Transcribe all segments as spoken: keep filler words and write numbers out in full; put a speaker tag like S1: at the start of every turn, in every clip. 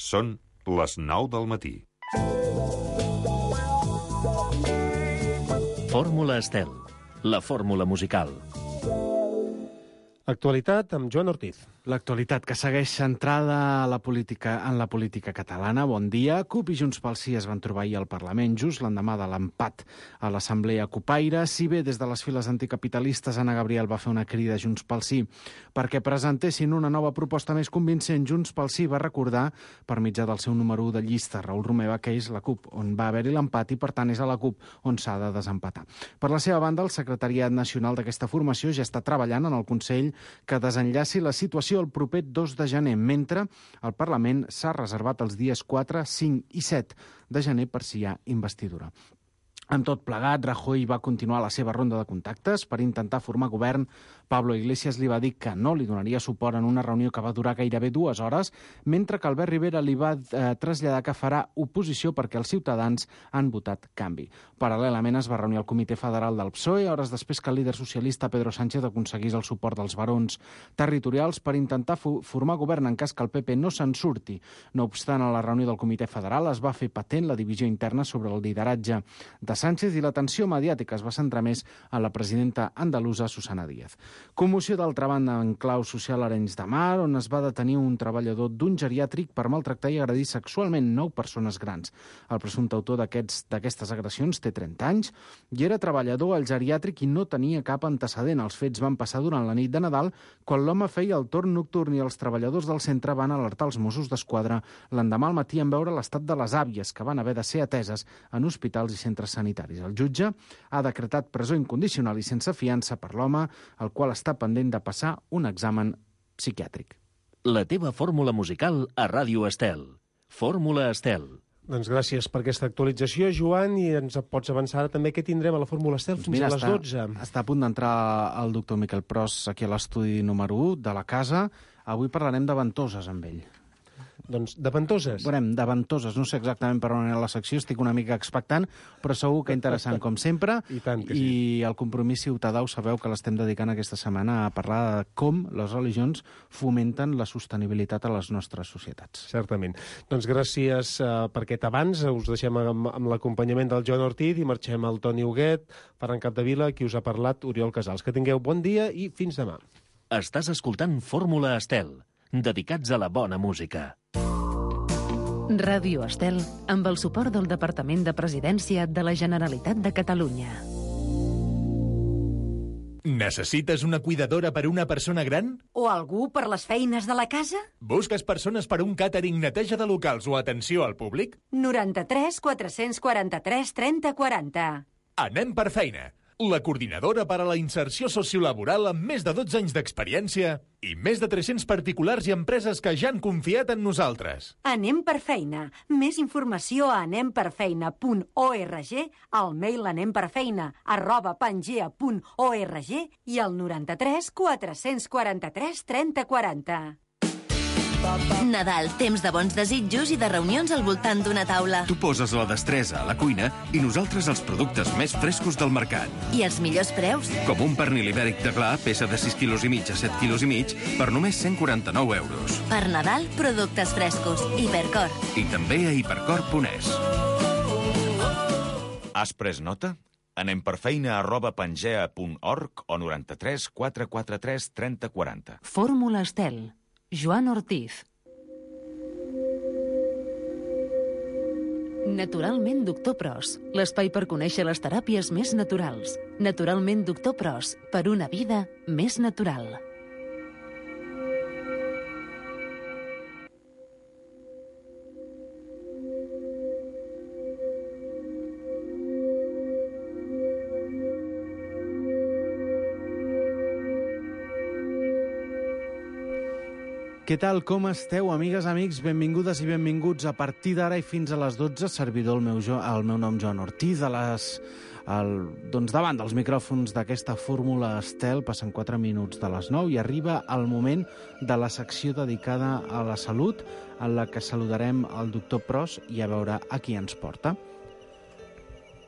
S1: Són les nou del matí.
S2: Fórmula Estel, la fórmula musical.
S3: Actualitat amb Joan Ortiz.
S4: L'actualitat que segueix centrada a la política, en la política catalana. Bon dia. CUP i Junts pel Sí es van trobar ahir al Parlament just l'endemà de l'empat a l'Assemblea Cupaire. Si bé des de les files anticapitalistes Anna Gabriel va fer una crida a Junts pel Sí perquè presentessin una nova proposta més convincent, Junts pel Sí va recordar per mitjà del seu número u de llista, Raül Romeva, que és la CUP on va haver-hi l'empat i per tant és a la CUP on s'ha de desempatar. Per la seva banda, el secretariat nacional d'aquesta formació ja està treballant en el Consell que desenllaci la situació el proper dos de gener, mentre el Parlament s'ha reservat els dies quatre, cinc i set de gener per si hi ha investidura. Amb tot plegat, Rajoy va continuar la seva ronda de contactes per intentar formar govern. Pablo Iglesias li va dir que no li donaria suport en una reunió que va durar gairebé dues hores, mentre que Albert Rivera li va eh, traslladar que farà oposició perquè els ciutadans han votat canvi. Paral·lelament es va reunir el Comitè Federal del P S O E, hores després que el líder socialista Pedro Sánchez aconseguís el suport dels barons territorials per intentar formar govern en cas que el P P no se'n surti. No obstant, a la reunió del Comitè Federal es va fer patent la divisió interna sobre el lideratge de Sánchez i l'atenció mediàtica es va centrar més en la presidenta andalusa Susana Díaz. Commoció d'altra banda en clau social a Arenys de Mar, on es va detenir un treballador d'un geriàtric per maltractar i agredir sexualment nou persones grans. El presumpte autor d'aquestes agressions té trenta anys i era treballador al geriàtric i no tenia cap antecedent. Els fets van passar durant la nit de Nadal, quan l'home feia el torn nocturn i els treballadors del centre van alertar els Mossos d'Esquadra l'endemà al matí en veure l'estat de les àvies, que van haver de ser ateses en hospitals i centres sanitaris. El jutge ha decretat presó incondicional i sense fiança per l'home, el qual està pendent de passar un examen psiquiàtric.
S2: La teva fórmula musical a Ràdio Estel. Fórmula Estel.
S3: Doncs gràcies per aquesta actualització, Joan, i ens pots avançar també què tindrem a la Fórmula Estel fins
S4: Mira,
S3: a les
S4: està,
S3: dotze.
S4: Està a punt d'entrar el doctor Miquel Pros aquí a l'estudi número u de la casa. Avui parlarem de ventoses amb ell.
S3: Doncs de ventoses.
S4: Veurem, de ventoses. No sé exactament per on anirà la secció, estic una mica expectant, però segur que interessant, com sempre.
S3: I tant que
S4: I
S3: sí.
S4: el compromís ciutadà, ho sabeu que l'estem dedicant aquesta setmana a parlar de com les religions fomenten la sostenibilitat a les nostres societats.
S3: Certament. Doncs gràcies uh, per aquest abans. Us deixem amb, amb l'acompanyament del Joan Ortiz i marxem al Toni Huguet, Ferran Capdevila, qui us ha parlat, Oriol Casals. Que tingueu bon dia i fins demà.
S2: Estàs escoltant Fórmula Estel, dedicats a la bona música.
S5: Ràdio Estel, amb el suport del Departament de Presidència de la Generalitat de Catalunya.
S6: Necessites una cuidadora per una persona gran?
S7: O algú per les feines de la casa?
S6: Busques persones per un càtering, neteja de locals o atenció al públic?
S7: noranta-tres quatre-cents quaranta-tres trenta quaranta.
S6: Anem per feina. La coordinadora per a la inserció sociolaboral amb més de dotze anys d'experiència i més de tres-cents particulars i empreses que ja han confiat en nosaltres.
S7: Anem per feina. Més informació a anem per feina punt org, al mail anemperfeina arroba pangea punt org i al noranta-tres quatre-cents quaranta-tres trenta quaranta.
S8: Nadal, temps de bons desitjos i de reunions al voltant d'una taula.
S9: Tu poses la destresa a la cuina i nosaltres els productes més frescos del mercat.
S8: I els millors preus?
S9: Com un pernil ibèric de gla, peça de sis quilos i mig a set quilos i mig, per només cent quaranta-nou euros.
S8: Per Nadal, productes frescos. Hipercor.
S9: I també a hipercor punt es.
S10: Has pres nota? Anem per feina arroba pangea punt org o noranta-tres quatre quaranta-tres trenta quaranta.
S5: Fórmula Estel. Joan Ortiz. Naturalment Doctor Pros, l'espai per conèixer les teràpies més naturals. Naturalment Doctor Pros, per una vida més natural.
S4: Què tal, com esteu, amigues, amics? Benvingudes i benvinguts. A partir d'ara i fins a les dotze, servidor el meu, jo, el meu nom Joan Ortiz, a les, el, doncs davant dels micròfons d'aquesta Fórmula Estel. Passen quatre minuts de les nou i arriba el moment de la secció dedicada a la salut, en la que saludarem el doctor Pros i a veure a qui ens porta.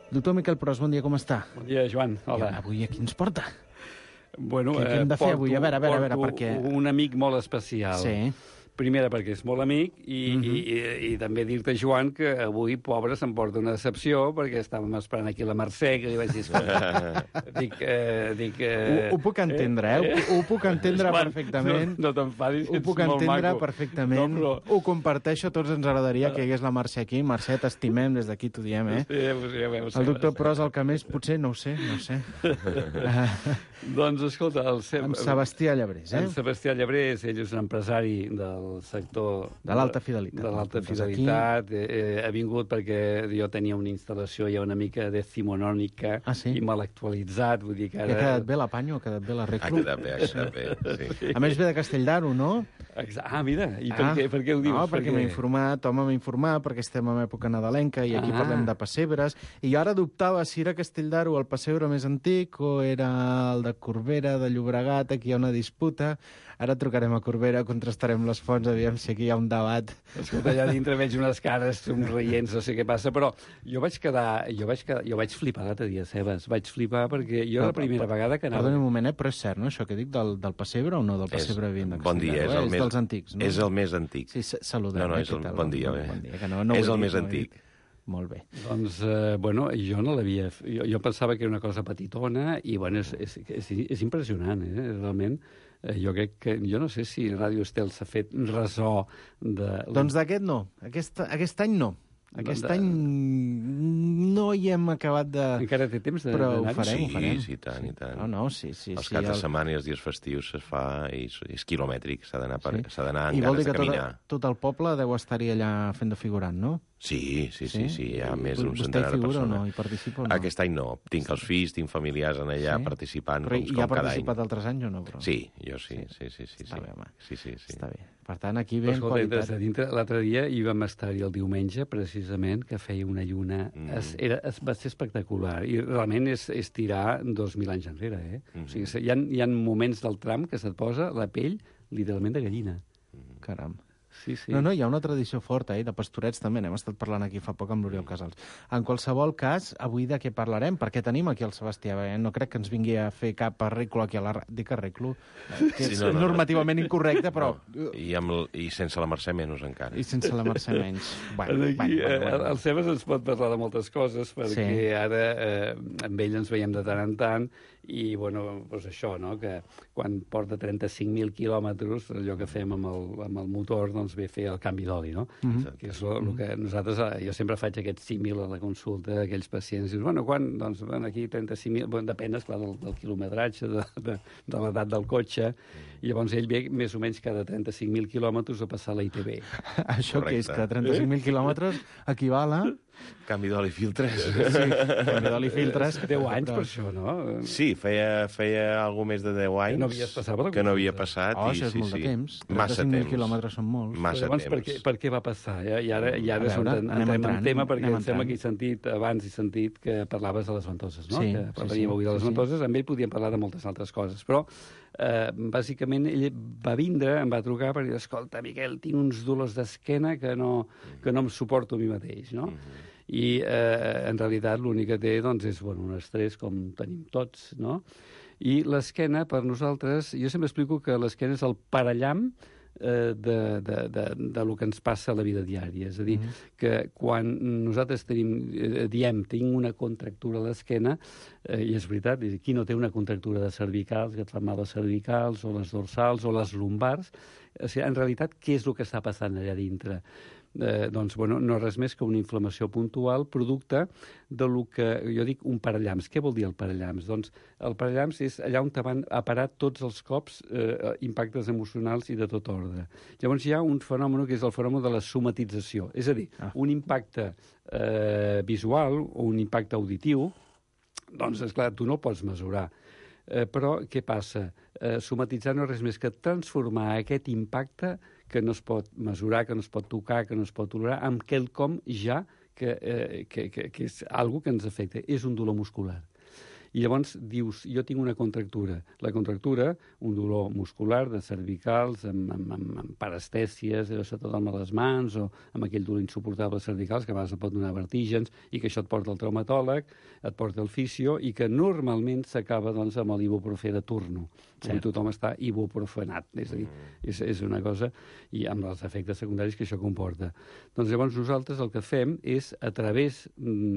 S4: Doctor Miquel Pros, bon dia, com està?
S11: Bon dia, Joan. Hola.
S4: I avui a qui ens porta?
S11: Bueno,
S4: què, què hem de fer
S11: porto,
S4: avui? A veure, a veure, a veure, perquè...
S11: un amic molt especial.
S4: Sí.
S11: primera perquè és molt amic i, mm -hmm. i, i, i també dir-te, Joan, que avui, pobre, s'emporta una decepció perquè estàvem esperant aquí la Mercè, que li vaig dir, escolta, dic... Eh, dic eh,
S4: ho, ho puc entendre, eh? Ho, ho puc entendre
S11: Joan,
S4: perfectament.
S11: No, no t'enfadis,
S4: Ho puc entendre perfectament. No, però... Ho comparteixo, tots ens agradaria que hi hagués la Mercè aquí. Mercè, t'estimem, des d'aquí t'ho diem, eh?
S11: Sí, ja veus,
S4: el doctor Pros, el que més, potser, no ho sé, no ho sé.
S11: Doncs, escolta... El Seb...
S4: En Sebastià Llabrés, eh?
S11: En Sebastià Llabrés, ell és un empresari del sector...
S4: De l'alta fidelitat.
S11: De l'alta fidelitat. Eh, ha vingut perquè jo tenia una instal·lació ja una mica decimonònica
S4: ah, sí?
S11: i mal actualitzat, vull dir que ara...
S4: I ha quedat bé l'Apanyo, ha quedat bé la Reclu?
S10: Ha quedat bé, ha quedat bé, sí.
S4: A més ve de Castelldaro, no?
S11: Ah, mira, i per, ah, què, per què ho dius?
S4: No, perquè m'he informat, home, m'he informat, perquè estem en època nadalenca i aquí ah. parlem de pessebres, i ara dubtava si era Castelldaro el pessebre més antic o era el de Corbera, de Llobregat, aquí hi ha una disputa. Ara trucarem a Corbera, contrastarem les fonts, aviam si aquí hi ha un debat.
S11: Escolta, allà dintre veig unes cares somrients, no sé què passa, però jo vaig quedar... Jo vaig, quedar, jo vaig flipar l'altre dia, Sebas. Vaig flipar perquè jo era la primera vegada que anava...
S4: Perdoni un moment, eh? Però és cert, no?, això que dic del, del pessebre o no, del pessebre vint de Castelldaro?
S10: Bon dia, és, el
S4: eh?
S10: més,
S4: és dels antics, no?
S10: És el més antic.
S4: Sí, saludem.
S10: No, no, és el,
S4: eh?
S10: bon dia,
S4: bon dia que no, no
S10: és el
S4: dit,
S10: més
S4: no
S10: antic.
S4: Molt bé.
S11: Doncs, eh, bueno, jo no l'havia... Jo, jo pensava que era una cosa petitona i, bueno, és, és, és, és impressionant, eh? Realment, eh, jo crec que... Jo no sé si Ràdio Estel s'ha fet ressò de...
S4: Doncs d'aquest no. Aquest, aquest any no. Aquest de... any no hi hem acabat de...
S11: Encara té temps de...
S4: Però
S11: de
S4: ho farem,
S10: sí,
S4: ho farem.
S10: Sí, i tant, i tant.
S4: No, no, sí, sí.
S10: Els
S4: sí,
S10: caps de
S4: el...
S10: setmana i els dies festius es fa i és quilomètric, s'ha d'anar
S4: sí.
S10: amb
S4: I vol
S10: ganes
S4: dir
S10: de
S4: que
S10: caminar.
S4: Tot, tot el poble deu estar-hi allà fent de figurant, no?
S10: Sí, sí, sí, sí, hi ha
S4: I,
S10: més d'un
S4: vostè
S10: centenar de
S4: figura
S10: persones.
S4: O no? Hi participa o no?
S10: Aquest any no. Tinc els fills, tinc familiars en allà sí? participant
S4: però
S10: com,
S4: com
S10: cada any.
S4: Però hi ha participat altres anys o no? Però...
S10: Sí, jo sí, sí, sí. sí,
S4: Està
S10: sí.
S4: bé, home.
S10: Sí, sí, sí.
S4: Està bé. Per tant, aquí ve en
S11: qualitat.
S4: qualitat.
S11: Dintre, l'altre dia hi vam estar-hi el diumenge, precisament, que feia una lluna... Mm. Es, era, es, va ser espectacular. I realment és, és tirar dos mil anys enrere, eh? Mm. O sigui, hi ha, hi ha moments del tram que se't posa la pell literalment de gallina.
S4: Mm. Caram.
S11: Sí, sí.
S4: No, no, hi ha una tradició forta, eh, de pastorets també, n'hem estat parlant aquí fa poc amb l'Oriol Casals. En qualsevol cas, avui de què parlarem? Perquè tenim aquí el Sebastià, eh? No crec que ens vingui a fer cap arreglo aquí a la... Dic arreglo, que és sí, no, no, normativament no. incorrecte, però...
S10: No. I, amb el, I sense la Mercè menys encara.
S4: I sense la Mercè menys. Bueno,
S11: aquí,
S4: bueno, bueno, bueno.
S11: El Sebas ens pot parlar de moltes coses, perquè sí. ara eh, amb ell ens veiem de tant en tant, i, bueno, doncs això, no?, que quan porta trenta-cinc mil quilòmetres, allò que fem amb el, amb el motor, doncs ve a fer el canvi d'oli, no? Mm-hmm. Que és el que nosaltres... Jo sempre faig aquest símil a la consulta d'aquells pacients. Dius, bueno, quan? Doncs, bueno, aquí trenta-cinc mil... Bueno, depèn, esclar, del, del quilometratge, de, de, de l'edat del cotxe, i llavors ell ve més o menys cada trenta-cinc mil quilòmetres a passar la I T B.
S4: Això que és que trenta-cinc mil quilòmetres equival a...
S10: Canvi d'oli filtres.
S4: Sí, canvi d'oli filtres.
S11: deu anys per això, no?
S10: Sí, feia, feia algú més de deu anys
S11: que no, passat,
S10: que no havia passat.
S4: Oh,
S10: i,
S4: això és
S10: sí,
S4: molt
S10: sí.
S4: de temps.
S10: Massa
S4: trenta-cinc mil
S10: temps.
S4: quilòmetres són molts.
S10: Massa
S11: llavors,
S10: temps.
S11: per què, per què va passar? Eh? I ara, i ara
S4: veure,
S11: entrem en
S4: entrant,
S11: tema, perquè em sembla
S4: entrant.
S11: que he sentit, abans he sentit que parlaves de les ventoses, no?
S4: Sí,
S11: que parlaríem
S4: sí, sí,
S11: avui de les
S4: sí,
S11: ventoses. Amb ell podíem parlar de moltes altres coses, però eh, bàsicament ell va vindre, em va trucar per dir, escolta, Miquel, tinc uns dolors d'esquena que no, que no em suporto a mi mateix, no? Mm-hmm. I eh, en realitat l'únic que té doncs, és bueno, un estrès com tenim tots, no? I l'esquena, per nosaltres, jo sempre explico que l'esquena és el parallam eh, de, de, de, de lo que ens passa a la vida diària. És a dir, mm-hmm. que quan nosaltres tenim, eh, diem tinc una contractura a l'esquena, eh, i és veritat, qui no té una contractura de cervicals, que et fan mal les cervicals, o les dorsals, o les lumbars, o sigui, en realitat, què és el que està passant allà dintre? Eh, doncs, bueno, no res més que una inflamació puntual producte de lo que jo dic un parallams. Què vol dir el parallams? Doncs el parallams és allà on te van a parar tots els cops eh, impactes emocionals i de tot ordre. Llavors hi ha un fenomen que és el fenomen de la somatització, és a dir, ah. un impacte eh, visual o un impacte auditiu, doncs, esclar, tu no el pots mesurar. Eh, però què passa? Eh, somatitzar no és res més que transformar aquest impacte que no es pot mesurar, que no es pot tocar, que no es pot tolerar, amb quelcom ja que, eh, que, que, que és algo que ens afecta. És un dolor muscular. I llavors dius, jo tinc una contractura. La contractura, un dolor muscular de cervicals, amb, amb, amb, amb parestèsies, sobretot amb les mans, o amb aquell dolor insuportable cervicals, que a vegades et pot donar vertígens, i que això et porta al traumatòleg, et porta al fisio, i que normalment s'acaba doncs, amb l'ibuprofè de turno. Sí. Tothom està ibuprofenat. És a dir, és, és una cosa, i amb els efectes secundaris que això comporta. Doncs llavors nosaltres el que fem és, a través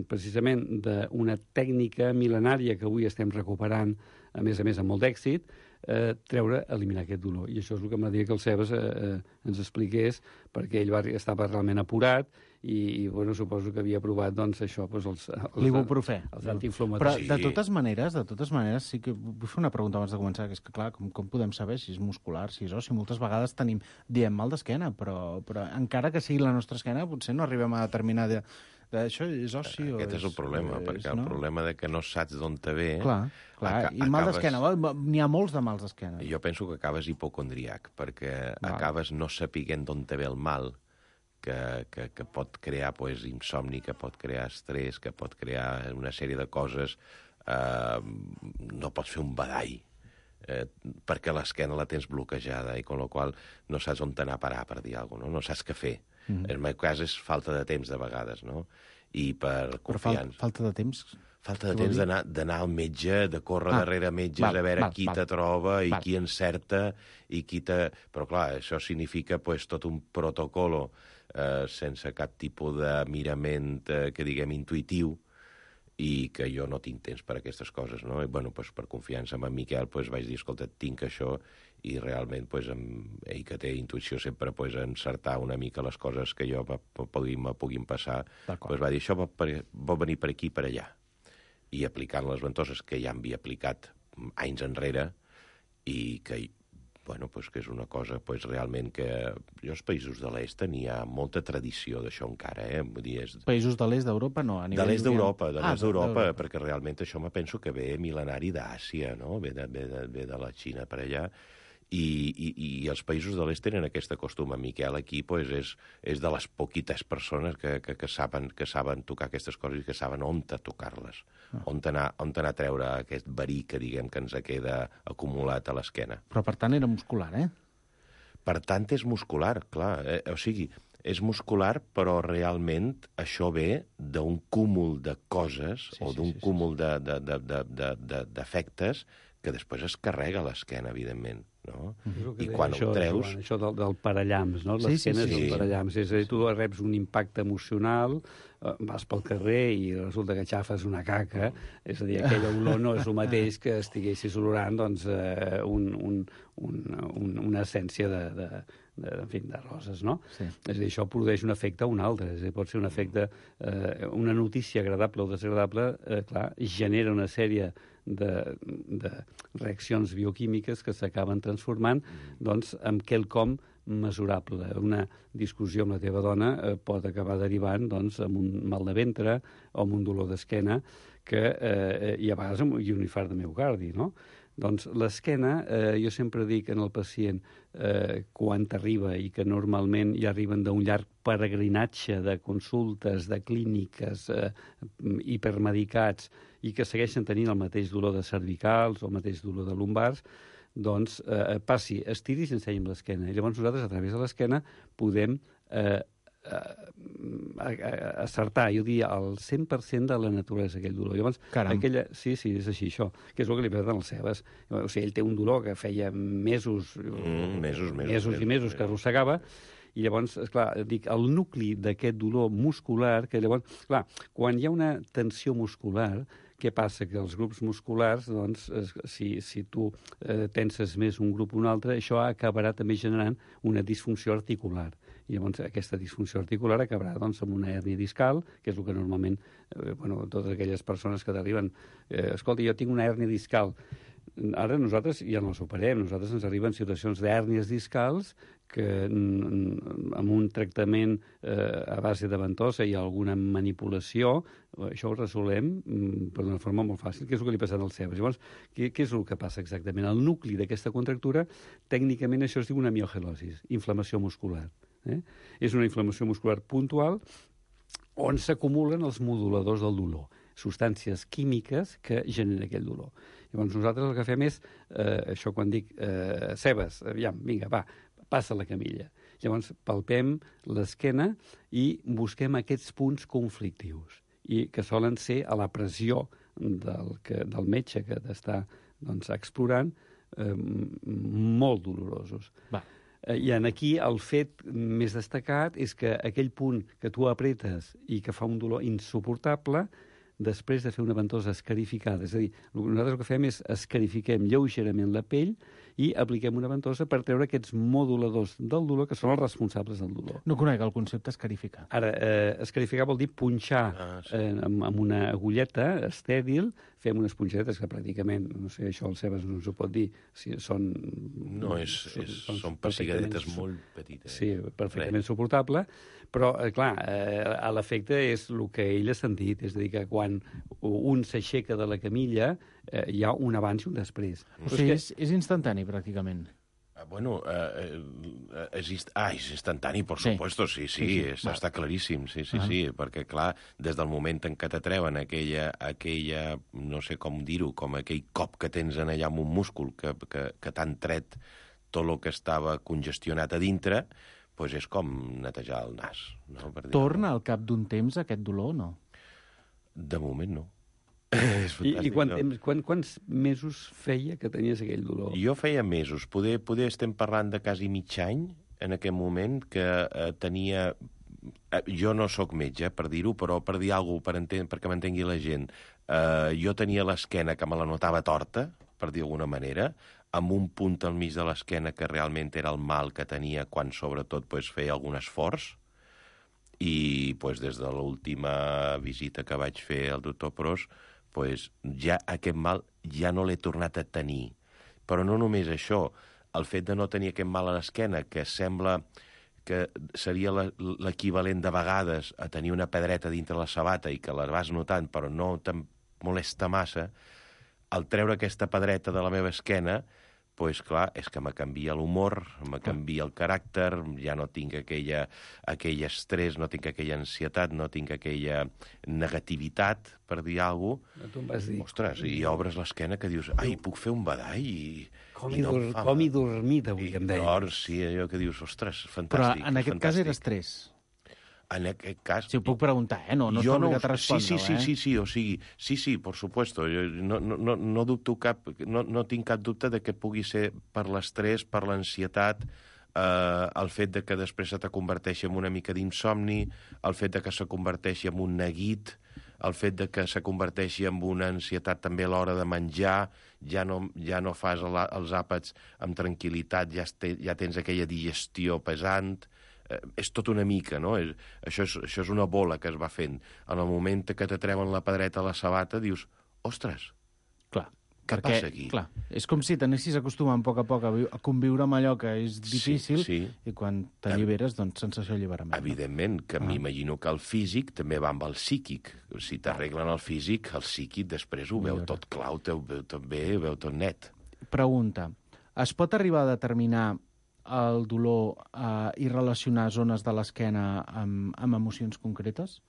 S11: precisament d'una tècnica mil·lenària que avui estem recuperant, a més a més amb molt d'èxit, eh, treure, eliminar aquest dolor. I això és el que m'agradaria que el Sebas eh, eh, ens expliqués, perquè ell va, estava realment apurat i, i bueno, suposo que havia provat doncs, això, doncs, els, els,
S4: l'ibuprofè.
S11: Els antiinflamatoris.
S4: Però de totes maneres, de totes maneres, sí que vull fer una pregunta abans de començar, que és que, clar, com, com podem saber si és muscular, si és ossi? Moltes vegades tenim, diem mal d'esquena, però, però encara que sigui la nostra esquena, potser no arribem a determinar de, de això és ossi o
S12: Aquest és, és el problema, és, perquè
S4: no?
S12: El problema de que no saps d'on te ve...
S4: Clar, clar. Aca i mal acabes... d'esquena, n'hi ha molts de mals d'esquena.
S12: Jo penso que acabes hipocondriac, perquè
S4: Va.
S12: acabes no sapiguent d'on te ve el mal, que, que, que pot crear pues, insomni, que pot crear estrès, que pot crear una sèrie de coses. Eh, no pots fer un badall, eh, perquè l'esquena la tens bloquejada, i con la qual no saps on t'anar a parar, per dir alguna cosa, no? No saps què fer. Mm. En el meu cas és falta de temps, de vegades, no? I per confiança...
S4: Però falta de temps...
S12: Falta de temps d'anar al metge, de córrer ah, darrere metges, val, a veure val, qui val, te troba i val. Qui encerta i qui te... Però, clar, això significa pues, tot un protocolo eh, sense cap tipus de mirament, eh, que diguem, intuïtiu, i que jo no tinc temps per a aquestes coses, no? I, bueno, pues, per confiança amb en Miquel pues, vaig dir, escolta, tinc això, i realment pues, amb ell, que té intuïció sempre pues, encertar una mica les coses que jo me puguin, me puguin passar, pues, va dir, això va, per, va venir per aquí i per allà. I aplicant les ventoses que ja havia aplicat anys enrere, i que, bueno, pues, que és una cosa pues, realment que... Jo als països de l'est n'hi ha molta tradició d'això encara, eh? Vull dir, és...
S4: Països de l'est d'Europa, no? A nivell
S12: de l'est d'Europa, de l'est
S4: ah,
S12: d'Europa, perquè realment això me penso que ve mil·lenari d'Àsia, no? Ve de, ve, de, ve de la Xina per allà, i, i, i els països de l'est tenen aquest costum. En Miquel aquí pues, és, és de les poquites persones que, que, que, saben, que saben tocar aquestes coses i que saben on tocar-les, ah. on anar, on anar a treure aquest verí que diguem que ens queda acumulat a l'esquena.
S4: Però per tant era muscular, eh?
S12: Per tant és muscular, clar. Eh? O sigui, és muscular, però realment això ve d'un cúmul de coses sí, o d'un sí, sí, cúmul sí. d'efectes de, de, de, de, que després es carrega l'esquena, evidentment. No?
S11: Mm-hmm.
S12: I quan
S11: això,
S12: ho treus...
S11: Joan, això del, del parallams, no? L'esquena sí, sí, sí. és el parallams. És a dir, tu reps un impacte emocional, eh, vas pel carrer i resulta que xafes una caca, és a dir, aquella olor no és el mateix que estiguessis olorant doncs, eh, un, un, un, un, una essència de, de, de, en fi, de roses, no? Sí. És a dir, això produeix un efecte a un altre. És a dir, pot ser un efecte... Eh, una notícia agradable o desagradable, eh, clar, genera una sèrie de, de reaccions bioquímiques que s'acaben transformant doncs, en quelcom mesurable. Una discussió amb la teva dona eh, pot acabar derivant doncs, amb un mal de ventre o amb un dolor d'esquena que, eh, i a vegades amb un infart de miocardi, no? Doncs l'esquena, eh, jo sempre dic en el pacient, eh, quan t'arriba i que normalment ja arriben d'un llarg peregrinatge de consultes, de clíniques, eh, hipermedicats, i que segueixen tenint el mateix dolor de cervicals o el mateix dolor de lumbars, doncs eh, passi, estiri i s'ensenyi amb l'esquena. I llavors nosaltres, a través de l'esquena, podem eh, eh, acertar, jo diria, el cent per cent de la naturalesa aquell dolor. Llavors, aquella... Sí, sí, és així, això, que és el que li passa als Sebas. O sigui, ell té un dolor que feia mesos,
S12: mm, mesos, mesos,
S11: mesos i mesos que arrossegava, i llavors, esclar, dic, el nucli d'aquest dolor muscular, que llavors, clar, quan hi ha una tensió muscular, què passa? Que els grups musculars, doncs, si, si tu eh, tenses més un grup o un altre, això acabarà també generant una disfunció articular. I llavors aquesta disfunció articular acabarà doncs, amb una hèrnia discal, que és el que normalment, eh, bueno, totes aquelles persones que t'arriben, eh, escolta, jo tinc una hèrnia discal. Ara nosaltres ja no els operem, nosaltres ens arriben situacions d'hèrnies discals que amb un tractament eh, a base de ventosa i alguna manipulació, això ho resolem per d'una forma molt fàcil, que és el que li passa als Sebas. Llavors, què, què és el que passa exactament? El nucli d'aquesta contractura, tècnicament això es diu una miogelosi, inflamació muscular. Eh? És una inflamació muscular puntual on s'acumulen els moduladors del dolor. substàncies químiques que generen aquell dolor. Llavors nosaltres el que fem és, eh, això quan dic, eh, cebes, aviam, vinga, va, passa la camilla. Llavors palpem l'esquena i busquem aquests punts conflictius, i que solen ser a la pressió del, que, del metge que t'està doncs, explorant, eh, molt dolorosos.
S4: Va.
S11: I en aquí el fet més destacat és que aquell punt que tu apretes i que fa un dolor insuportable, després de fer una ventosa escarificada, és a dir, nosaltres el que fem és escarifiquem lleugerament la pell i apliquem una ventosa per treure aquests moduladors del dolor que són els responsables del dolor.
S4: No conec el concepte escarificar.
S11: Ara, eh, escarificar vol dir punxar ah, sí. eh, amb, amb una agulleta estèril, fem unes punxetes que pràcticament, no sé, això el Sebas no ens ho pot dir, si són...
S12: No, és, és, són, són pessigadetes molt petites.
S11: Sí, perfectament suportable, però, eh, clar, eh, a l'efecte és el que ell ha sentit, és a dir, que quan un s'aixeca de la camilla eh, hi ha un abans i un després.
S4: O sigui, és, és instantani, pràcticament.
S12: Bueno, eh, eh, és, ist... ah, és instantani, per sí. supuesto, sí, sí, sí, sí. És, està claríssim, sí, sí, uh -huh. sí, perquè, clar, des del moment en què te treuen aquella, aquella no sé com dir-ho, com aquell cop que tens en allà amb un múscul que, que, que t'han tret tot el que estava congestionat a dintre, doncs és com netejar el nas. No? Per
S4: Torna al cap d'un temps aquest dolor o no?
S12: De moment no.
S11: I, i quan, temps, quan, quants mesos feia que tenies aquell dolor?
S12: Jo feia mesos. Poder, poder estem parlant de quasi mig any en aquest moment que eh, tenia... Eh, jo no sóc metge, per dir-ho, però per dir alguna cosa, per enten... perquè m'entengui la gent, eh, jo tenia l'esquena que me la notava torta, per dir d'alguna manera, amb un punt al mig de l'esquena que realment era el mal que tenia quan, sobretot, pues, feia algun esforç. I pues, des de l'última visita que vaig fer al doctor Pros, pues, ja aquest mal ja no l'he tornat a tenir. Però no només això, el fet de no tenir aquest mal a l'esquena, que sembla que seria l'equivalent de vegades a tenir una pedreta dintre la sabata i que la vas notant però no te'n molesta massa, al treure aquesta pedreta de la meva esquena, pues, clar, és que me canvia l'humor, me canvia el caràcter, ja no tinc aquella, aquell estrès, no tinc aquella ansietat, no tinc aquella negativitat, per dir alguna cosa.
S11: Tu em vas dir.
S12: Ostres, i obres l'esquena que dius, ai, puc fer un badall i...
S11: Com i, no dur, com i dormit, avui, em deia.
S12: Llavors, sí, allò que dius, ostres, fantàstic.
S4: Però en aquest
S12: fantàstic.
S4: cas era estrès.
S12: En aquest cas...
S4: Si ho puc preguntar, eh? No, no
S12: jo
S4: està obligat
S12: no,
S4: a respondre,
S12: sí, sí,
S4: eh?
S12: sí, sí, sí, o sigui, sí, sí, por supuesto. Jo no, no, no dubto cap, no, no tinc cap dubte de que pugui ser per l'estrès, per l'ansietat, eh, el fet de que després se te converteixi en una mica d'insomni, el fet de que se converteixi en un neguit, el fet de que se converteixi en una ansietat també a l'hora de menjar, ja no, ja no fas el, els àpats amb tranquil·litat, ja, este, ja tens aquella digestió pesant... Eh, és tot una mica, no? És, això, és, això és una bola que es va fent. En el moment que te treuen la pedreta a la sabata, dius, ostres,
S4: clar,
S12: què
S4: perquè,
S12: passa aquí?
S4: Clar, és com si t'anessis acostumant a poc a poc a, a conviure amb allò que és difícil,
S12: sí, sí.
S4: I quan t'alliberes, doncs, sensació d'alliberament.
S12: Evidentment, que
S4: ah.
S12: m'imagino que el físic també va amb el psíquic. Si t'arreglen el físic, el psíquic després ho veu tot clar, ho veu tot bé, ho veu tot net.
S4: Pregunta, es pot arribar a determinar el dolor eh, i relacionar zones de l'esquena amb, amb emocions concretes?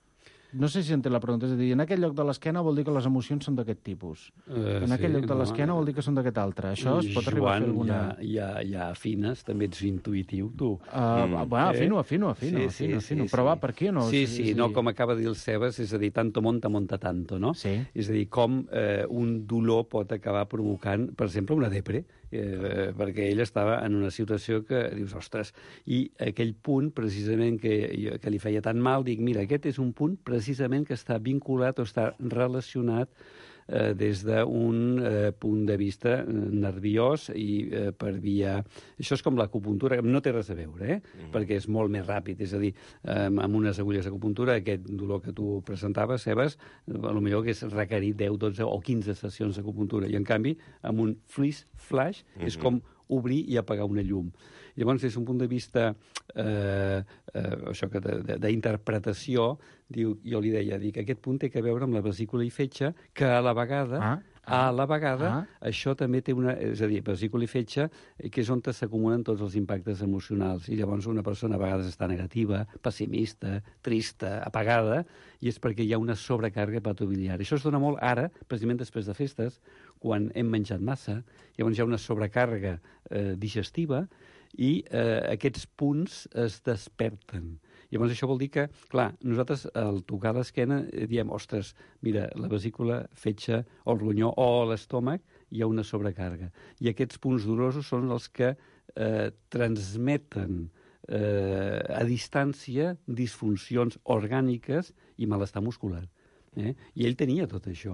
S4: No sé si entenc la pregunta, és a dir, en aquest lloc de l'esquena vol dir que les emocions són d'aquest tipus. Uh, en aquest sí, lloc de l'esquena no, vol dir que són d'aquest altre. Això es pot
S11: Joan,
S4: arribar a fer alguna...
S11: ja, ja, ja afines, també ets intuïtiu, tu.
S4: Uh, mm. Bueno, afino, afino, afino,
S11: sí,
S4: afino,
S11: sí,
S4: afino.
S11: Sí,
S4: Però
S11: sí.
S4: va, per aquí o no?
S11: Sí, sí, sí, no, com acaba de dir el Sebas, és a dir, tanto monta, monta tanto, no?
S4: Sí.
S11: És a dir, com eh, un dolor pot acabar provocant, per exemple, una depre, eh, perquè ell estava en una situació que dius, ostres, i aquell punt, precisament, que, que li feia tan mal, dic, mira, aquest és un punt precisament que està vinculat o està relacionat eh, des d'un eh, punt de vista nerviós i eh, per via... Això és com l'acupuntura, no té res a veure, eh? Mm. perquè és molt més ràpid, és a dir, eh, amb unes agulles d'acupuntura, aquest dolor que tu presentaves, Sebas, a lo millor hagués requerit deu, dotze o quinze sessions d'acupuntura, i en canvi, amb un freeze flash, mm-hmm. és com obrir i apagar una llum. Llavors, des d'un punt de vista eh, eh, això que d'interpretació, diu, jo li deia, dic, aquest punt té a veure amb la vesícula i fetge, que a la vegada, ah, A la vegada, ah. això també té una... És a dir, vesícula i fetge, que és on s'acumulen tots els impactes emocionals. I llavors una persona a vegades està negativa, pessimista, trista, apagada, i és perquè hi ha una sobrecàrrega hepatobiliar. Això es dona molt ara, precisament després de festes, quan hem menjat massa, llavors hi ha una sobrecàrrega eh, digestiva i eh, aquests punts es desperten. Llavors això vol dir que, clar, nosaltres al tocar l'esquena diem, ostres, mira, la vesícula, fetge, o el ronyó o l'estómac, hi ha una sobrecàrrega. I aquests punts dolorosos són els que eh, transmeten eh, a distància disfuncions orgàniques i malestar muscular. Eh? I ell tenia tot això.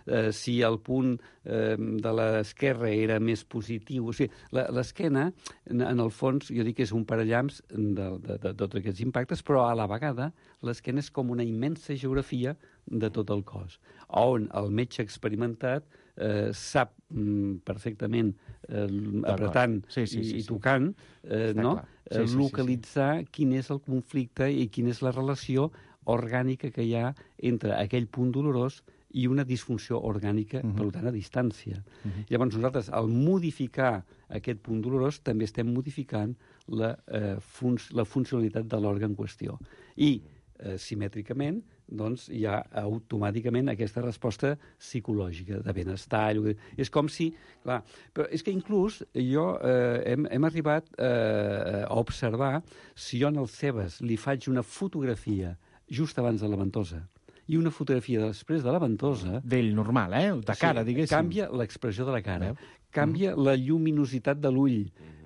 S11: Eh, si el punt eh, de l'esquerra era més positiu... O sigui, l'esquena, en, en el fons, jo dic que és un parallamps de, de, de tots aquests impactes, però a la vegada l'esquena és com una immensa geografia de tot el cos, on el metge experimentat eh, sap mm, perfectament, eh, apretant sí, sí, sí, i, i tocant, eh, no? sí, sí, localitzar sí, sí. quin és el conflicte i quina és la relació orgànica que hi ha entre aquell punt dolorós i una disfunció orgànica, uh-huh. per tant, a distància. Uh-huh. Llavors, nosaltres, al modificar aquest punt dolorós, també estem modificant la, eh, fun la funcionalitat de l'òrgan en qüestió. I, eh, simètricament, doncs, hi ha automàticament aquesta resposta psicològica de benestar. És com si... Clar, però és que inclús jo eh, hem, hem arribat eh, a observar si jo en el Cebes li faig una fotografia just abans de la ventosa i una fotografia després de la ventosa...
S4: D'ell normal, eh? De cara, sí, diguéssim.
S11: Canvia l'expressió de la cara, canvia mm. la lluminositat de l'ull.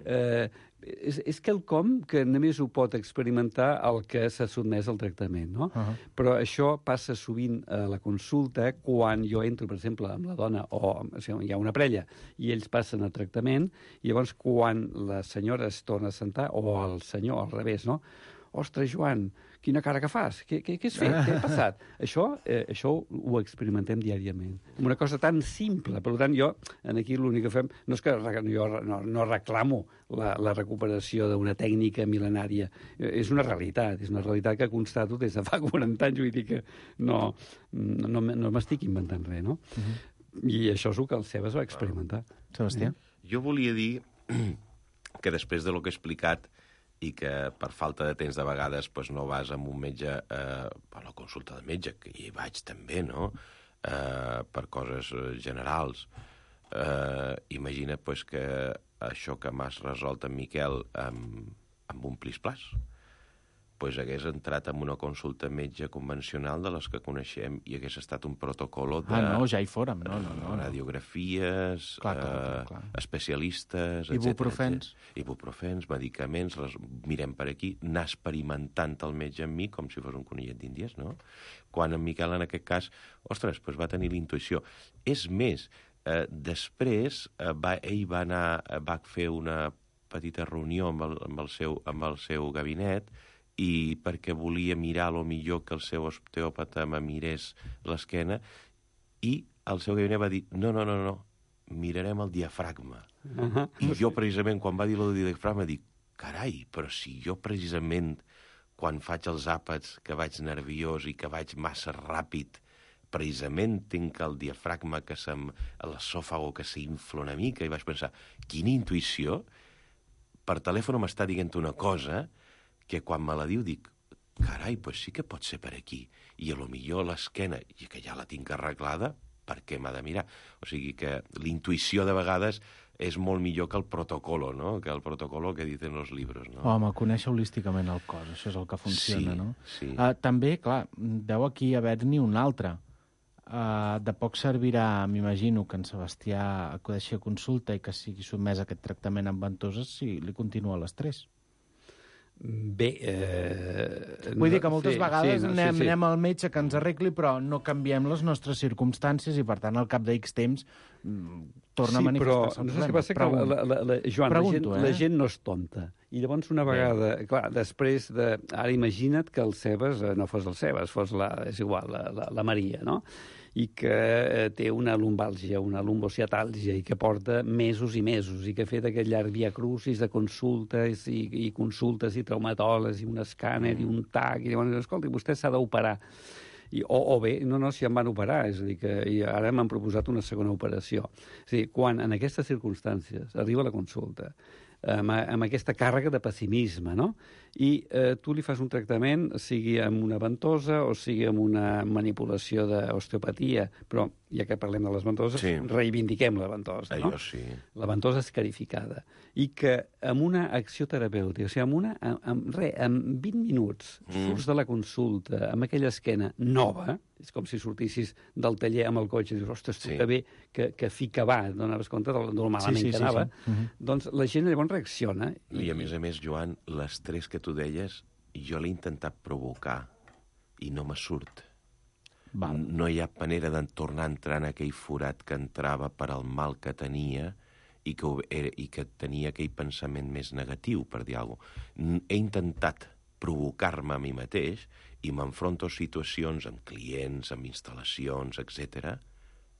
S11: Eh, és, és quelcom que només ho pot experimentar el que s'ha sotmès al tractament, no? Uh -huh. Però això passa sovint a la consulta quan jo entro, per exemple, amb la dona o, o sigui, hi ha una parella i ells passen el tractament i llavors quan la senyora es torna a sentar, o el senyor al revés, no? Ostres, Joan, quina cara que fas? Què, què, què has fet? Què ha passat? Això, eh, això ho experimentem diàriament. Una cosa tan simple. Per tant, jo, aquí l'únic que fem... No és que jo no, no reclamo la, la recuperació d'una tècnica mil·lenària. És una realitat. És una realitat que constato des de fa quaranta anys. Vull dir que no, no, no m'estic inventant res, no? Uh-huh. I això és el que el Cebes va experimentar.
S4: Sebastià?
S12: Jo volia dir que després de lo que he explicat i que per falta de temps de vegades pues, no vas amb un metge eh, a la consulta de metge, que hi vaig també, no?, eh, per coses generals. Eh, imagina't pues, que això que m'has resolt en Miquel amb, amb un plis-plas, pues hagués entrat en una consulta metge convencional de les que coneixem i hagués estat un protocol de...
S4: Ah, no, ja hi fórem, no, no, no.
S12: Radiografies,
S4: clar, clar, clar, clar.
S12: Eh, especialistes...
S4: Ibuprofens.
S12: Ibuprofens, medicaments, les mirem per aquí, anar experimentant el metge amb mi com si fos un conillet d'Índies, no? Quan en Miquel, en aquest cas, ostres, pues va tenir la intuïció. És més, eh, després eh, va, ell va anar, va fer una petita reunió amb el, amb el, seu, amb el seu gabinet i perquè volia mirar lo millor que el seu osteòpata me mirés l'esquena, i el seu gabinet va dir, no, no, no, no, mirarem el diafragma. Uh-huh. I jo precisament, quan va dir el diafragma, dic, carai, però si jo precisament, quan faig els àpats, que vaig nerviós i que vaig massa ràpid, precisament tinc el diafragma, que se'm, l'esòfago que s'infla una mica, i vaig pensar, quina intuïció, per telèfon m'està dient una cosa que quan me la diu dic, carai, doncs sí que pot ser per aquí. I a lo millor l'esquena, i que ja la tinc arreglada, per què m'ha de mirar? O sigui que la intuïció de vegades és molt millor que el protocolo, no? Que el protocolo que dicen els llibres, no?
S4: Home, conèixer holísticament el cos, això és el que funciona,
S12: sí,
S4: no?
S12: Sí.
S4: Uh, també, clar, deu aquí haver-n'hi un altre. Uh, de poc servirà, m'imagino, que en Sebastià acudeixi a consulta i que sigui sotmès a aquest tractament amb ventoses si li continua l'estrès.
S11: Bé... Eh,
S4: Vull dir que moltes
S11: sí,
S4: vegades
S11: sí, no,
S4: anem,
S11: sí, sí.
S4: anem al metge que ens arregli, però no canviem les nostres circumstàncies i, per tant, al cap d'X temps torna
S11: sí,
S4: a manifestar-se
S11: el
S4: el
S11: problema. Sí, però no sé què passa, que la, la, la, Joan,
S4: Pregunto,
S11: la, gent,
S4: eh?
S11: la gent no és tonta. I llavors una vegada... Bé. Clar, després de... Ara imagina't que el Cebes no fos el Cebes, fos la... És igual, la, la, la Maria, no? I que eh, té una lumbàlgia, una lumbociatàlgia, i que porta mesos i mesos, i que ha fet aquest llarg via crucis de consultes i, i consultes i traumatòlegs, i un escàner, i un tac, i llavors, escolta, vostè s'ha d'operar. I, o, o bé, no, no, si em van operar, és a dir, que i ara m'han proposat una segona operació. És a dir, quan en aquestes circumstàncies arriba la consulta, amb, amb aquesta càrrega de pessimisme, no? I eh, tu li fas un tractament, sigui amb una ventosa o sigui amb una manipulació d'osteopatia, però ja que parlem de les ventoses, sí. reivindiquem la ventosa, no?
S12: Allò sí.
S11: La ventosa escarificada. I que amb una acció terapèutica, o sigui, amb, una, amb, amb, re, amb vint minuts, mm. surts de la consulta amb aquella esquena nova, és com si sortissis del taller amb el cotxe i dius, ostres, tu sí. que bé que, que fi que va, donaves compte del, del malament sí, sí, que anava, sí, sí. Uh-huh. Doncs la gent llavors reacciona.
S12: I... I a més a més, Joan, l'estrès que tu deies, jo l'he intentat provocar i no me surt. Val. No hi ha manera de tornar a entrar en aquell forat que entrava per al mal que tenia i que, era, i que tenia aquell pensament més negatiu, per dir alguna cosa. He intentat provocar-me a mi mateix i m'enfronto a situacions amb clients, amb instal·lacions, etcètera,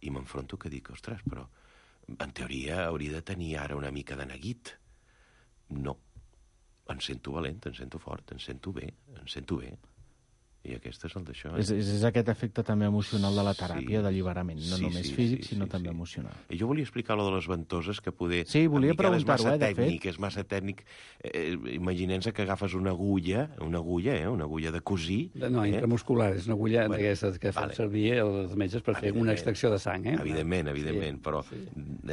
S12: i m'enfronto que dic, ostres, però en teoria hauria de tenir ara una mica de neguit. No. Em sento valent, em sento fort, em sento bé, em sento bé. I aquest és el d'això. Eh?
S4: És, és, és aquest efecte també emocional de la teràpia, sí, d'alliberament, no sí, només sí, físic, sí, sinó sí, també sí. emocional.
S12: I jo volia explicar lo de les ventoses, que poder...
S4: Sí, volia preguntar-ho, eh, de
S12: tècnic,
S4: fet.
S12: És massa tècnic. Eh, Imaginem-se que agafes una agulla, una agulla, eh, una agulla de cosir...
S11: No, eh? intramuscular, és una agulla bueno, d'aquestes que vale. fan servir els metges per fer una extracció de sang, eh?
S12: Evidentment, evidentment,
S11: sí,
S12: però
S11: sí.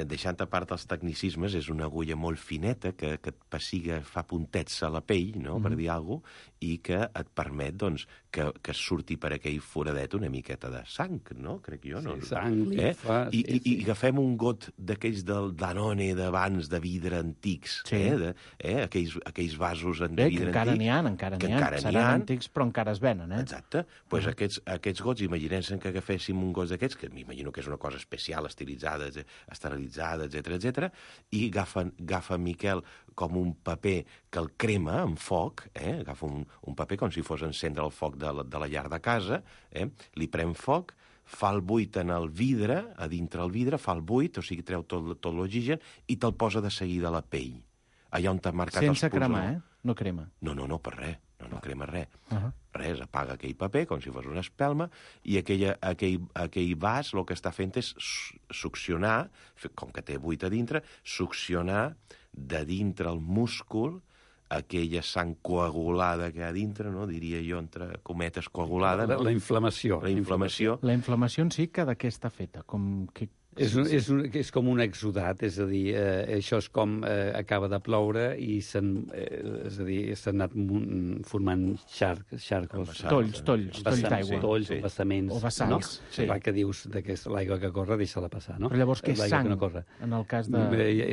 S12: deixant a part els tecnicismes, és una agulla molt fineta que, que et pessiga, fa puntets a la pell, no?, mm-hmm. per dir alguna cosa, i que et permet, doncs, que, que surti per aquell foradet una miqueta de sang, no? Crec jo, no?
S11: Sí, sang, linfa...
S12: Eh? I, sí, i, I agafem un got d'aquells del Danone d'abans, de vidre antics, sí. eh? De, eh? Aquells, aquells vasos de
S4: Bé,
S12: vidre
S4: encara
S12: antic.
S4: N'hi ha, encara n'hi ha,
S12: encara
S4: seran ha. antics, però encara es venen, eh?
S12: Exacte. Doncs pues uh -huh. aquests, aquests gots, imaginem-se que agaféssim un got d'aquests, que m'imagino que és una cosa especial, estilitzada, esterilitzada, etcètera, etcètera, i agafa, agafa Miquel com un paper que el crema amb foc, eh? Agafa un, un paper com si fos encendre el foc de la, de la llar de casa, eh? Li pren foc, fa el buit en el vidre, a dintre el vidre, fa el buit, o sigui, treu tot, tot l'oxigen i te'l posa de seguida a la pell. Allà on t'ha marcat
S4: sense
S12: els punts...
S4: cremar,
S12: no?
S4: eh? No crema.
S12: No, no, no, per res. No, no crema res.
S4: Uh -huh.
S12: Res, apaga aquell paper com si fos una espelma i aquella, aquell, aquell vas el que està fent és succionar, com que té buit a dintre, succionar de dintre el múscul aquella sang coagulada que hi ha dintre, no? Diria jo, entre cometes, coagulada.
S11: La, no? la inflamació.
S12: La inflamació.
S4: La inflamació en si, que de què està feta? Com que...
S11: És, un, és, un, és com un exudat, és a dir, eh, això és com eh, acaba de ploure i s'han eh, és a dir, s'han anat formant xarc, xarcos.
S4: Tolls, tolls, tolls d'aigua.
S11: Tolls, sí. Vessaments.
S4: O vessals.
S11: No?
S4: Sí.
S11: Clar, que dius que l'aigua que corre, deixa-la passar, no?
S4: Però llavors què és sang,
S11: no corre.
S4: en el cas de...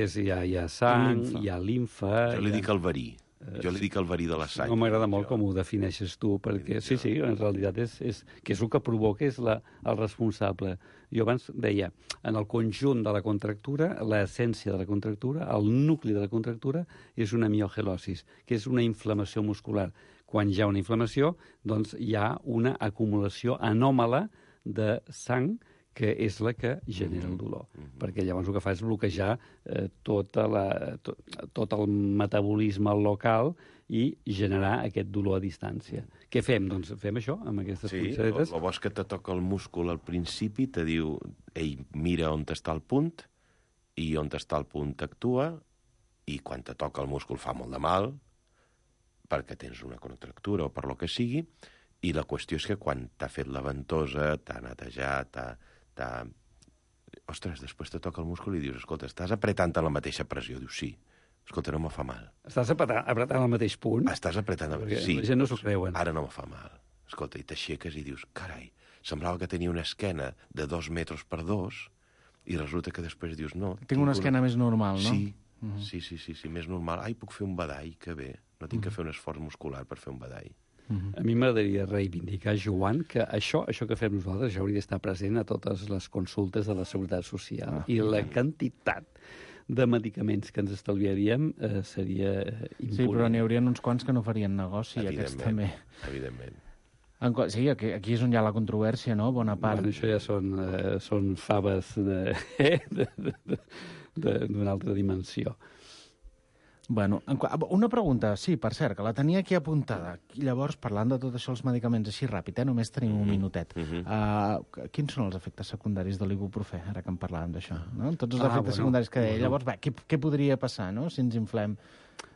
S11: És, hi, ha, hi ha sang, hi ha linfa...
S12: Jo li dic el verí. Jo li dic el verí de la sang.
S11: No m'agrada molt com ho defineixes tu, perquè sí, sí, en realitat és, és que és el que provoca és la, el responsable. Jo abans deia, en el conjunt de la contractura, l'essència de la contractura, el nucli de la contractura és una miogelosis, que és una inflamació muscular. Quan hi ha una inflamació, doncs hi ha una acumulació anòmala de sang que és la que genera el dolor. Mm-hmm. Perquè llavors el que fa és bloquejar eh, tota la, to, tot el metabolisme local i generar aquest dolor a distància. Què fem? Doncs fem això, amb aquestes
S12: sí,
S11: punxadetes.
S12: Sí, el bo és que te toca el múscul al principi, te diu, ei, mira on està el punt, i on està el punt actua, i quan te toca el múscul fa molt de mal, perquè tens una contractura o per lo que sigui, i la qüestió és que quan t'ha fet la ventosa, t'ha netejat, t'ha... t'ha... Ostres, després te toca el múscul i dius, escolta, estàs apretant a la mateixa pressió. Dius, sí. Escolta, no me fa mal.
S11: Estàs apretant, apretant al mateix punt?
S12: Estàs apretant al mateix punt, sí.
S11: La gent no s'ho creuen.
S12: Ara no me fa mal. Escolta, i t'aixeques i dius, carai, semblava que tenia una esquena de dos metres per dos i resulta que després dius, no...
S4: Tinc una esquena una... més normal, no?
S12: Sí, uh-huh. sí, sí, sí, sí, més normal. Ai, puc fer un badall, que bé. No tinc uh-huh. que fer un esforç muscular per fer un badall.
S11: Uh-huh. A mi m'agradaria reivindicar, Joan, que això això que fem nosaltres ja hauria d'estar present a totes les consultes de la Seguretat Social. Ah. I la quantitat de medicaments que ens estalviaríem eh, seria imponent.
S4: Sí, però n'hi haurien uns quants que no farien negoci, aquests també.
S12: Evidentment.
S4: En, sí, aquí, aquí és on hi ha la controvèrsia, no? Bona part.
S11: Bueno, això ja són, eh, són faves d'una altra dimensió.
S4: Bueno, una pregunta, sí, per cert, que la tenia aquí apuntada. I llavors, parlant de tot això, els medicaments, així ràpid, eh? Només tenim un minutet. Uh-huh. uh, quins són els efectes secundaris de l'ibuprofè, ara que en parlàvem d'això? No? Tots els ah, efectes bueno, secundaris que deia. Bueno. Llavors, va, què, què podria passar, no?, si ens inflem?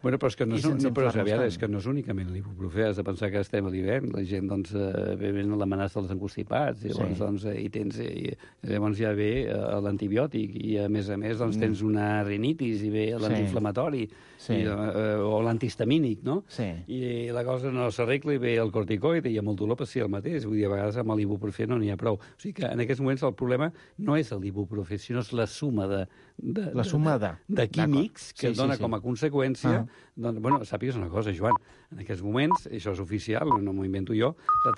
S11: Bueno, però és que no és, no, però, aviat, és que no és únicament l'ibuprofè. Has de pensar que estem a l'hivern, la gent, doncs, eh, ve l'amenaça dels encostipats, i llavors, sí. doncs, eh, i tens, i, llavors ja ve eh, l'antibiòtic, i a més a més, doncs, tens una rinitis, i ve l'antiinflamatori, sí. i, eh, o l'antihistamínic, no? Sí. I la cosa no s'arregla, i ve el corticoide, i amb el dolor passi el mateix. Vull dir, a vegades amb l'ibuprofè no n'hi ha prou. O sigui que en aquests moments el problema no és l'ibuprofè, sinó és la suma de, de,
S4: la suma de,
S11: de, de químics que sí, dona sí, sí. com a conseqüència. Ah. Doncs, bueno, sàpigues una cosa, Joan, en aquests moments, això és oficial, no m'ho invento jo, la